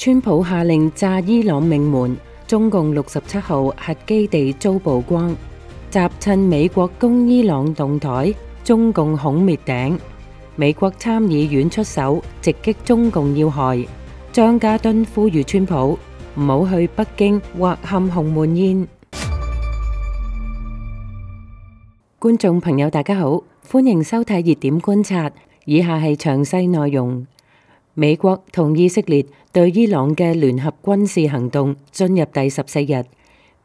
川普下令炸伊朗命門，中共67號核基地遭曝光，習趁美國攻伊朗動台，中共恐滅頂。美國參議院出手直擊中共要害，張家敦呼籲川普唔好去北京或陷鴻門宴。觀眾朋友大家好，歡迎收睇熱點觀察，以下係詳細內容。美國同以色列對伊朗嘅聯合軍事行動進入第14日。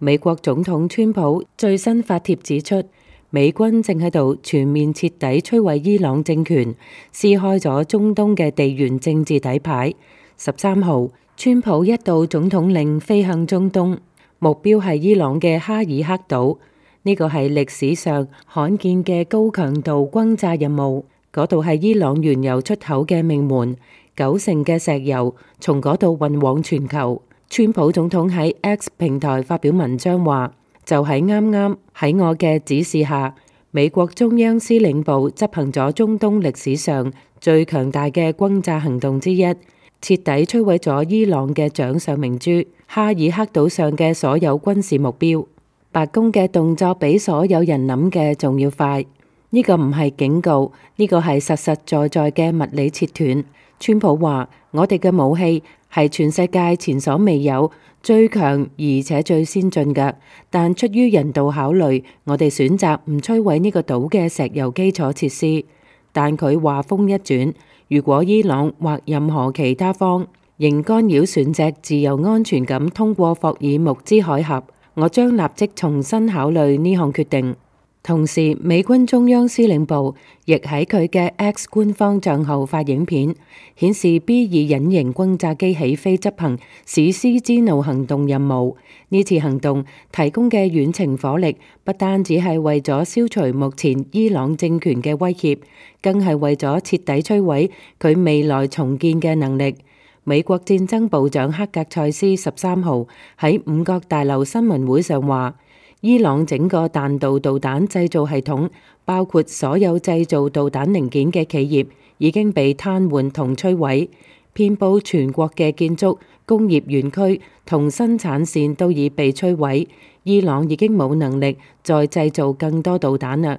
美國總統川普最新發帖指出，美軍正喺度全面徹底摧毀伊朗政權，撕開咗中東嘅地緣政治底牌。13號，川普一道總統令飛向中東，目標係伊朗嘅哈爾克島。呢個係歷史上罕見嘅高強度轟炸任務，嗰度係伊朗原油出口嘅命門。90%嘅石油從嗰度運往全球。川普總統喺 X 平台發表文章話，就喺啱啱喺我嘅指示下，美國中央司令部執行咗中東歷史上最強大嘅轟炸行動之一，徹底摧毀咗伊朗嘅掌上明珠哈爾克島上嘅所有軍事目標。白宮嘅動作比所有人諗嘅仲要快。呢個唔係警告，呢個係實實在在嘅物理切斷。川普話：我哋嘅武器係全世界前所未有、最強而且最先進嘅，但出於人道考慮，我哋選擇唔摧毀呢個島嘅石油基礎設施。但佢話風一轉，如果伊朗或任何其他方仍干擾船隻自由安全咁通過霍爾木茲海峽，我將立即重新考慮呢項決定。同時，美軍中央司令部亦喺佢嘅 X 官方帳號發影片，顯示 B-2隱形轟炸機起飛執行史詩之怒行動任務。呢次行動提供嘅遠程火力，不單只係為咗消除目前伊朗政權嘅威脅，更係為咗徹底摧毀佢未來重建嘅能力。美國戰爭部長克格塞斯13號喺五角大樓新聞會上話，伊朗整個彈道導彈製造系統，包括所有製造導彈零件嘅企業，已經被癱瘓同摧毀。遍佈全國嘅建築、工業園區同生產線都已被摧毀。伊朗已經冇能力再製造更多導彈啦。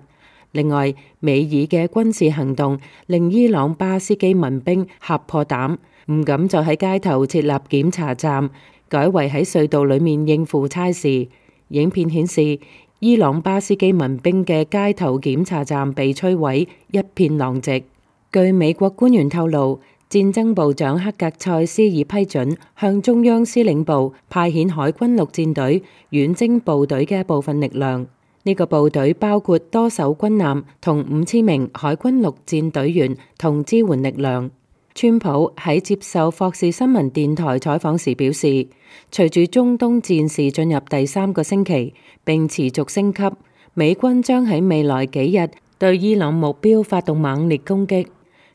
另外，美以嘅軍事行動令伊朗巴斯基民兵嚇破膽，唔敢再喺街頭設立檢查站，改為喺隧道裡面應付差事。影片顯示，伊朗巴斯基民兵嘅街頭檢查站被摧毀，一片狼藉。據美國官員透露，戰爭部長克格塞斯已批准向中央司令部派遣海軍陸戰隊遠征部隊嘅部分力量。呢個部隊包括多艘軍艦同5000名海軍陸戰隊員同支援力量。川普喺接受霍士新聞電台採訪時表示，隨住中東戰事進入第3個星期並持續升級，美軍將喺未來幾日對伊朗目標發動猛烈攻擊。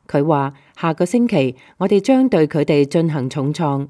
佢話：下個星期我哋將對佢哋進行重創。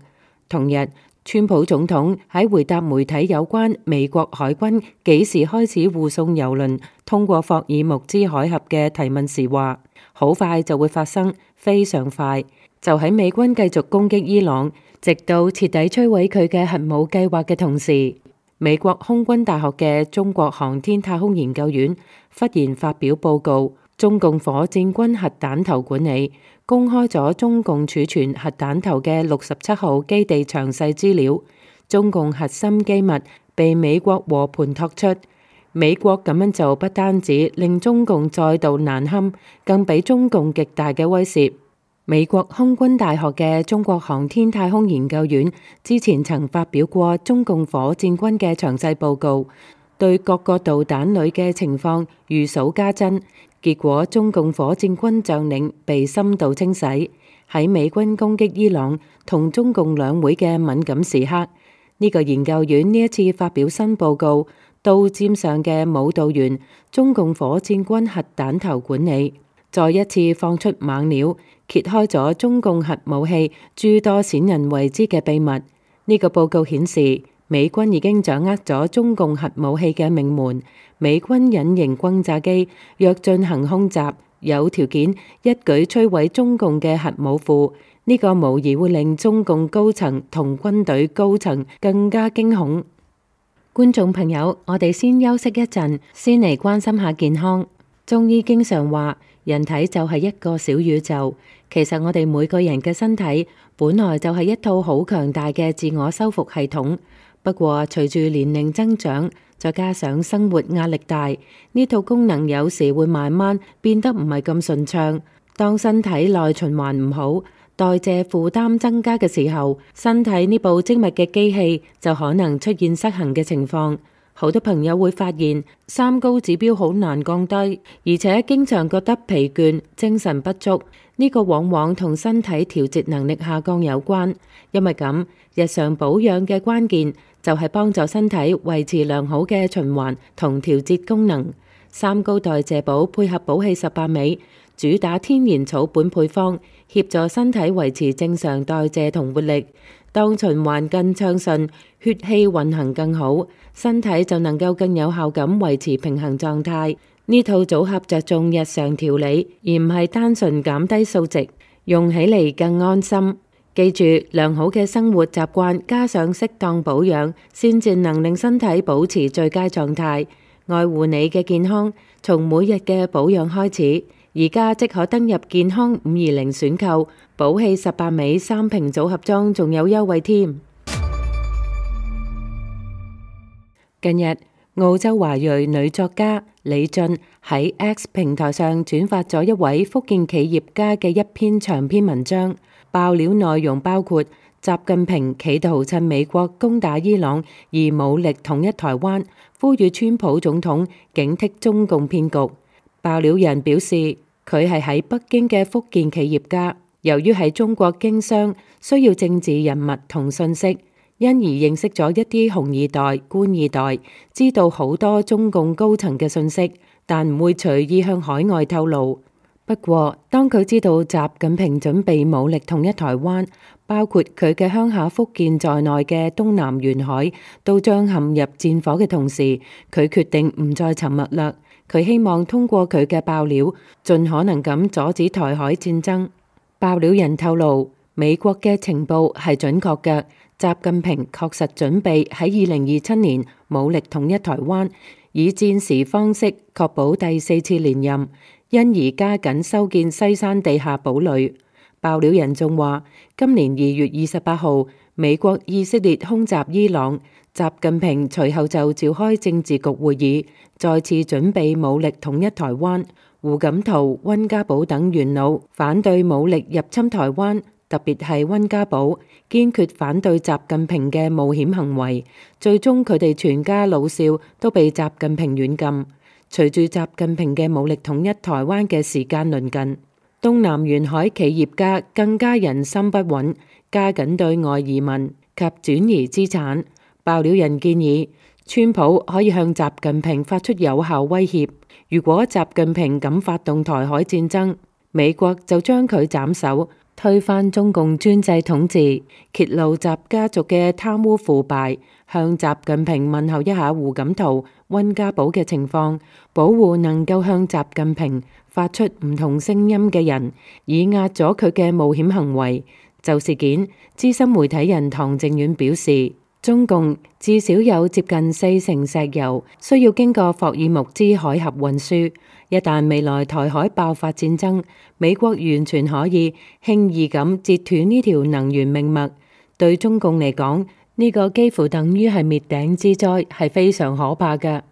同日，川普總統喺回答媒體有關美國海軍幾時開始護送郵輪通過霍爾木茲海峽嘅提問時話：好快就會發生，非常快。就喺美軍繼續攻擊伊朗，直到徹底摧毀佢嘅核武計劃嘅同時，美國空軍大學嘅中國航天太空研究院忽然發表報告，中共火箭軍核彈頭管理公開咗中共儲存核彈頭嘅67號基地詳細資料，中共核心機密被美國和盤托出。美國咁樣做不單止令中共再度難堪，更俾中共極大嘅威懾。美國空軍大學嘅中國航天太空研究院之前曾發表過中共火箭軍嘅詳細報告，對各個導彈裏嘅情況如數家珍。結果中共火箭軍將領被深度清洗。喺美軍攻擊伊朗同中共兩會嘅敏感時刻，呢個研究院呢一次發表新報告，刀尖上嘅舞蹈員，中共火箭軍核彈頭管理，再一次放出猛料，揭開咗中共核武器諸多鮮人為之嘅秘密。呢個報告顯示，美軍已經掌握咗中共核武器嘅命門。美軍隱形轟炸機若進行空襲，有條件一舉摧毀中共嘅核武庫。呢個無疑會令中共高層同軍隊高層更加驚恐。觀眾朋友，我哋先休息一陣，先嚟關心下健康。中醫經常話，人體就係一個小宇宙。其實我哋每個人嘅身體本來就係一套好強大嘅自我修復系統。不過隨住年齡增長，再加上生活壓力大，呢套功能有時會慢慢變得唔係咁順暢。當身體內循環唔好，代謝負擔增加嘅時候，身體呢部精密嘅機器就可能出現失衡嘅情況。好多朋友會發現三高指標好難降低，而且經常覺得疲倦、精神不足。呢個往往同身體調節能力下降有關。因為咁，日常保養嘅關鍵就係幫助身體維持良好嘅循環同調節功能。三高代謝寶配合寶氣18味，主打天然草本配方，協助身體維持正常代謝同活力。當循環更暢順，血氣運行更好，身體就能夠更有效咁維持平衡狀態。呢套組合着重日常調理，而唔係單純減低數值，用起嚟更安心。記住，良好嘅生活習慣加上適當保養，先至能令身體保持最佳狀態。愛護你嘅健康，從每日嘅保養開始。而家即可登入健康520選購，寶氣18味3瓶組合裝仲有優惠添。近日，澳洲華裔女作家李俊喺 X 平台上轉發咗一位福建企業家嘅一篇長篇文章，爆料內容包括習近平企圖趁美國攻打伊朗而武力統一台灣，呼籲川普總統警惕中共騙局。爆料人表示，佢係喺北京嘅福建企業家，由於喺中國經商，需要政治人物同信息，因而認識咗一啲紅二代、官二代，知道好多中共高層嘅信息，但唔會隨意向海外透露。不過，當佢知道習近平準備武力統一台灣，包括佢嘅鄉下福建在內嘅東南沿海都將陷入戰火嘅同時，佢決定唔再沉默啦。佢希望通過佢嘅爆料，盡可能咁阻止台海戰爭。爆料人透露，美國嘅情報係準確嘅，習近平確實準備喺2027年武力統一台灣，以戰時方式確保第4次連任，因而加緊修建西山地下堡壘。爆料人仲話，今年2月28號，美國以色列空襲伊朗，習近平隨後就召開政治局會議，再次準備武力統一台灣。胡錦濤、溫家寶等元老反對武力入侵台灣，特別係溫家寶堅決反對習近平嘅冒險行為。最終佢哋全家老少都被習近平軟禁。隨住習近平嘅武力統一台灣嘅時間鄰近，東南沿海企業家更加人心不穩，加緊對外移民及轉移資產。爆料人建議，川普可以向習近平發出有效威脅，如果習近平敢發動台海戰爭，美國就將佢斬首，推翻中共專制統治，揭露習家族嘅貪污腐敗，向習近平問候一下胡錦濤、溫家寶嘅情況，保護能夠向習近平發出唔同聲音嘅人，以壓咗佢嘅冒險行為。就事件，資深媒體人唐靖遠表示，中共至少有接近40%石油需要經過霍爾木茲海峽運輸，一旦未來台海爆發戰爭，美國完全可以輕易咁截斷呢條能源命脈。對中共嚟講，呢個幾乎等於係滅頂之災，係非常可怕嘅。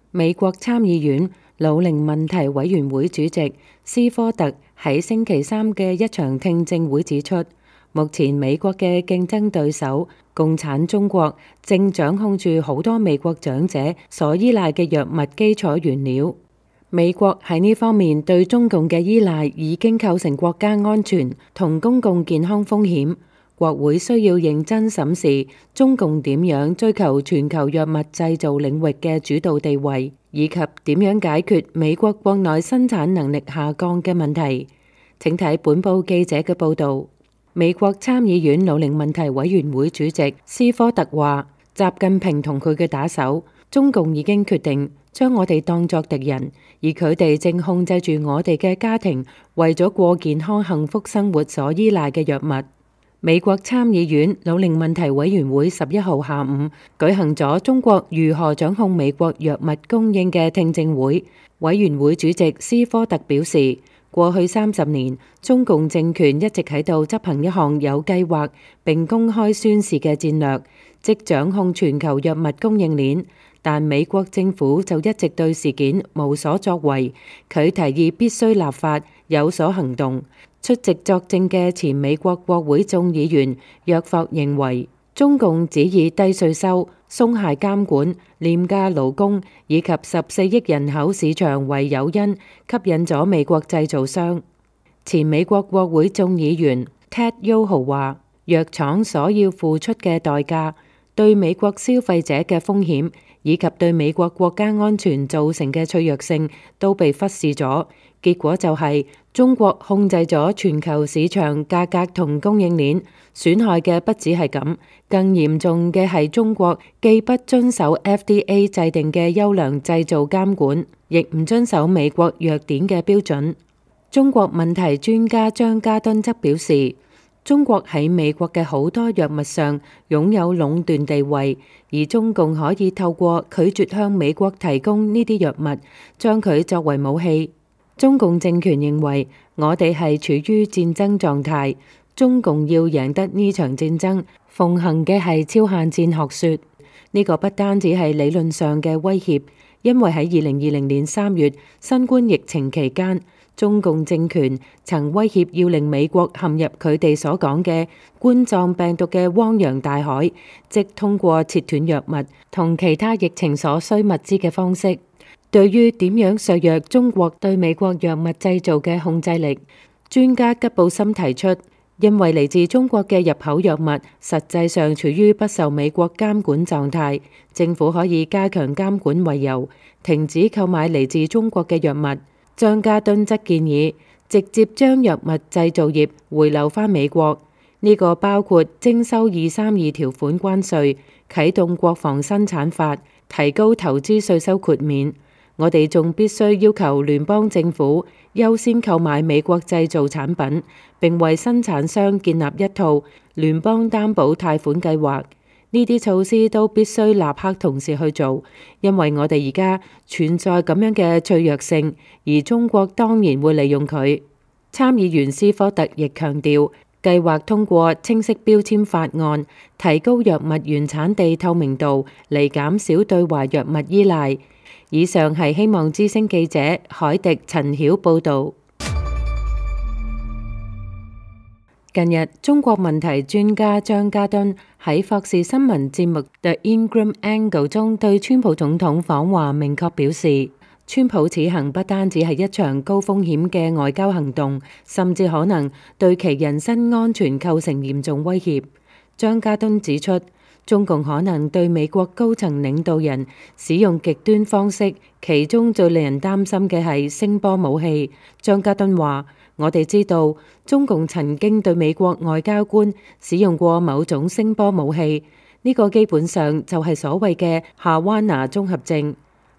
美國參議院老齡問題委員會主席斯科特喺星期三嘅一場聽證會指出，目前美國嘅競爭對手共產中國正掌控住好多美國長者所依賴嘅藥物基礎原料。美國喺呢方面對中共嘅依賴已經構成國家安全同公共健康風險。國會需要認真審視中共點樣追求全球藥物製造領域嘅主導地位，以及點樣解決美國國內生產能力下降嘅問題。請睇本報記者嘅報導。美國參議院老齡問題委員會主席斯科特話，習近平同佢嘅打手，中共已經決定將我哋當作敵人，而佢哋正控制住我哋嘅家庭，為咗過健康幸福生活所依賴嘅藥物。美國參議院老齡問題委員會11號下午舉行咗中國如何掌控美國藥物供應嘅聽證會。委員會主席斯科特表示，過去30年，中共政權一直喺度執行一項有計劃並公開宣示嘅戰略，即掌控全球藥物供應鏈。但美國政府就一直對事件無所作為。佢提議必須立法，有所行動。出席作證嘅前美國國會眾議員約霍認為，中共只以低稅收、鬆懈監管、廉價勞工以及14億人口市場為誘因，吸引咗美國製造商。前美國國會眾議員 Ted Yoho 話，藥廠所要付出嘅代價、對美國消費者嘅風險以及對美國國家安全造成嘅脆弱性都被忽視咗。結果就係中國控制咗全球市場價格同供應鏈，損害嘅不止係咁，更嚴重嘅係中國既不遵守 FDA 制定嘅優良製造監管，亦唔遵守美國藥典嘅標準。中國問題專家張家敦則表示，中國喺美國嘅好多藥物上擁有壟斷地位，而中共可以透過拒絕向美國提供呢啲藥物，將佢作為武器。中共政權認為我哋係處於戰爭狀態，中共要贏得呢場戰爭，奉行嘅係超限戰學說。呢個不單止係理論上嘅威脅，因為喺2020年3月新冠疫情期間，中共政權曾威脅要令美國陷入佢哋所講嘅冠狀病毒嘅汪洋大海，即通過切斷藥物同其他疫情所需物資嘅方式。對於點樣削弱中國對美國藥物製造嘅控制力，專家吉布森提出，因為嚟自中國嘅入口藥物實際上處於不受美國監管狀態，政府可以加強監管為由，停止購買嚟自中國嘅藥物。張家敦則建議直接將藥物製造業回流返美國，呢個包括徵收232條款關稅、啟動國防生產法、提高投資稅收豁免。我哋仲必須要求聯邦政府優先購買美國製造產品，並為生產商建立一套聯邦擔保貸款計劃。呢啲措施都必須立刻同時去做，因為我哋而家存在咁樣嘅脆弱性，而中國當然會利用佢。參議員斯科特亦強調，計劃通過清晰標籤法案，提高藥物原產地透明度，嚟減少對華藥物依賴。以上係希望之聲記者海迪陳曉報導。近日，中國問題專家張家敦喺霍士新聞節目 The Ingram Angle 中對川普總統訪華明確表示，川普此行不單止係一場高風險嘅外交行動，甚至可能對其人身安全構成嚴重威脅。張家敦指出，中共可能對美國高層領導人使用極端方式，其中最令人擔心嘅係聲波武器。張家敦話，我哋知道中共曾經對美國外交官使用過某種聲波武器，呢個基本上就係所謂嘅夏灣拿綜合症。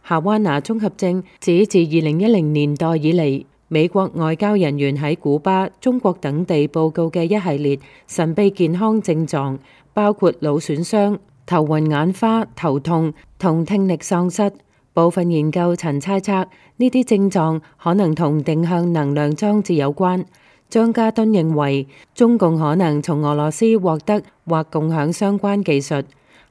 夏灣拿綜合症指自2010年代以嚟，美國外交人員喺古巴、中國等地報告嘅一系列神秘健康症狀，包括腦損傷、頭暈眼花、頭痛同聽力喪失。部分研究曾猜測呢啲症狀可能同定向能量裝置有關。張家敦認為，中共可能從俄羅斯獲得或共享相關技術。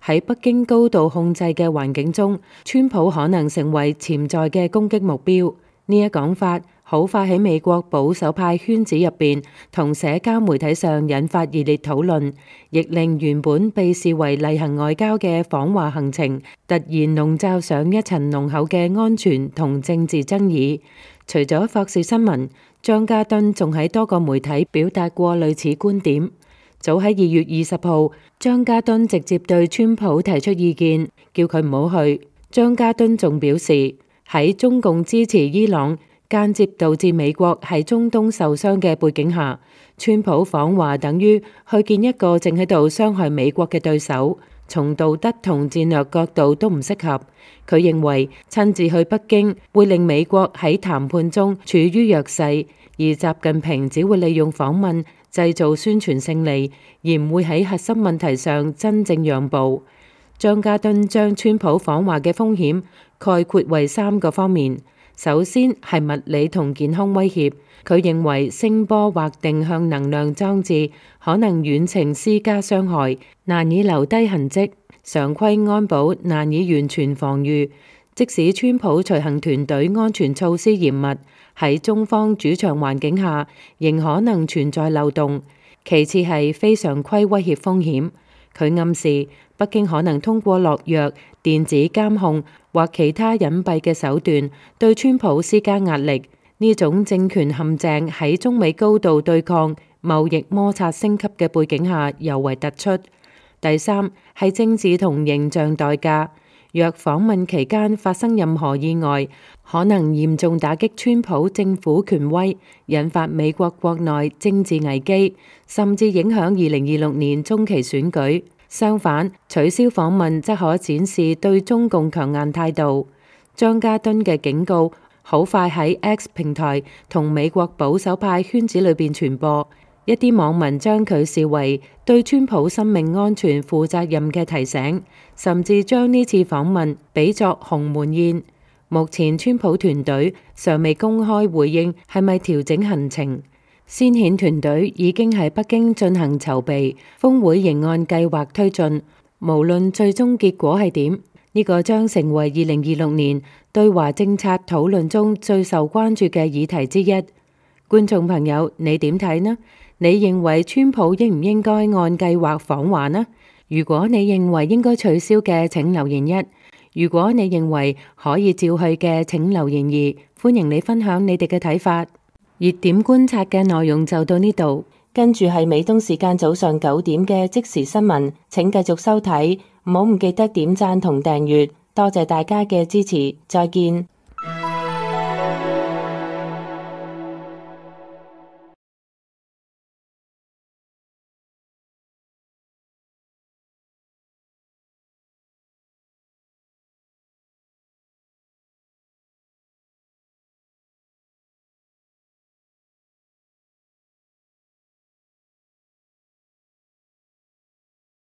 喺北京高度控制嘅環境中，川普可能成為潛在嘅攻擊目標。呢一講法好快喺美國保守派圈子入邊同社交媒體上引發熱烈討論，亦令原本被視為例行外交嘅訪華行程突然籠罩上一層濃厚嘅安全同政治爭議。除咗霍士新聞，張家敦仲喺多個媒體表達過類似觀點。早喺2月20號，張家敦直接對川普提出意見，叫佢唔好去。張家敦仲表示，喺中共支持伊朗，間接導致美國喺中東受傷嘅背景下，川普訪華等於去見一個正喺度傷害美國嘅對手。從道德同戰略角度都唔適合。佢認為親自去北京會令美國喺談判中處於弱勢，而習近平只會利用訪問製造宣傳勝利，而唔會喺核心問題上真正讓步。張家敦將川普訪華嘅風險概括為3個方面。首先係物理同健康威脅，佢認為聲波或定向能量裝置可能遠程施加傷害，難以留低痕跡，常規安保難以完全防禦。即使川普隨行團隊安全措施嚴密，喺中方主場環境下，仍可能存在漏洞。其次係非常規威脅風險，佢暗示北京可能通過落藥、電子監控或其他隱蔽嘅手段對川普施加壓力。呢種政權陷阱喺中美高度對抗、貿易摩擦升級嘅背景下尤為突出。第三係政治同形象代價，若訪問期間發生任何意外，可能嚴重打擊川普政府權威，引發美國國內政治危機，甚至影響2026年中期選舉。相反，取消訪問則可展示對中共強硬態度。張家敦嘅警告好快喺 X 平台同美國保守派圈子裏邊傳播，一啲網民將佢視為對川普生命安全負責任嘅提醒，甚至將呢次訪問比作鴻門宴。目前川普團隊尚未公開回應係咪調整行程。先遣團隊已經喺北京進行籌備，峰會仍按計劃推進。無論最終結果係點，呢個將成為2026年對華政策討論中最受關注嘅議題之一。觀眾朋友，你點睇呢？你認為川普應唔應該按計劃訪華呢？如果你認為應該取消嘅，請留言1；如果你認為可以照去嘅，請留言2。歡迎你分享你哋嘅睇法。熱點觀察嘅內容就到呢度，跟住係美東時間早上9點嘅即時新聞，請繼續收睇，唔記得點讚同訂閱，多謝大家嘅支持，再見。